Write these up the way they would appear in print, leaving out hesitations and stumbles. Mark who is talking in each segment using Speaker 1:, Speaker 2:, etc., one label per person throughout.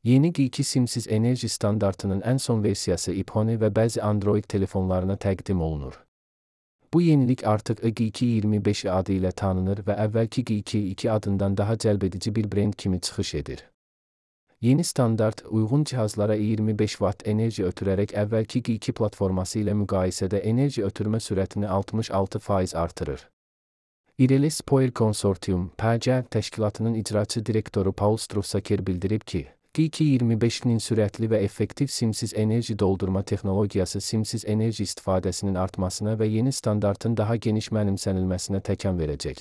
Speaker 1: Yeni G2 simsiz enerji standartının ən son versiyası iPhone və bəzi Android telefonlarına təqdim olunur. Bu yenilik artıq G225 adı ilə tanınır və əvvəlki G2 adından daha cəlbedici bir brend kimi çıxış edir. Yeni standart, uyğun cihazlara 25 Watt enerji ötürərək əvvəlki G2 platforması ilə müqayisədə enerji ötürmə sürətini 66% artırır. Ireli Spoir Consortium (PG) təşkilatının icraçı direktoru Paul Strussaker bildirib ki, G225-nin sürətli və effektiv simsiz enerji doldurma texnologiyası simsiz enerji istifadəsinin artmasına və yeni standartın daha geniş mənimsənilməsinə təkan verəcək.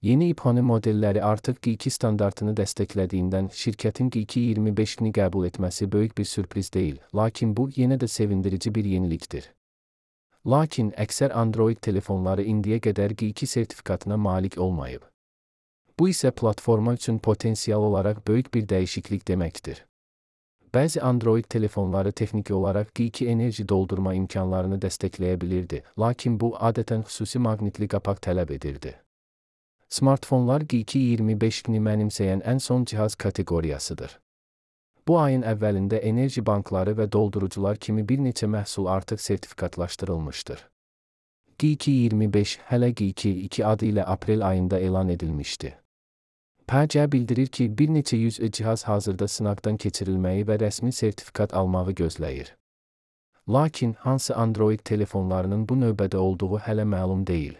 Speaker 1: Yeni iPhone modelləri artıq G2 standartını dəstəklədiyindən şirkətin G225-ni qəbul etməsi böyük bir sürpriz deyil, lakin bu yenə də sevindirici bir yenilikdir. Lakin əksər Android telefonları indiyə qədər G2 sertifikatına malik olmayıb. Bu isə platforma üçün potensial olaraq böyük bir dəyişiklik deməkdir. Bəzi Android telefonları texniki olaraq G2 enerji doldurma imkanlarını dəstəkləyə bilirdi, lakin bu adətən xüsusi maqnitli qapaq tələb edirdi. Smartfonlar G225-ni mənimsəyən ən son cihaz kateqoriyasıdır. Bu ayın əvvəlində enerji bankları və doldurucular kimi bir neçə məhsul artıq sertifikatlaşdırılmışdır. G225 hələ G2 adı ilə aprel ayında elan edilmişdi. PG bildirir ki, bir neçə yüz cihaz hazırda sınaqdan keçirilməyi və rəsmi sertifikat almağı gözləyir. Lakin hansı Android telefonlarının bu növbədə olduğu hələ məlum deyil.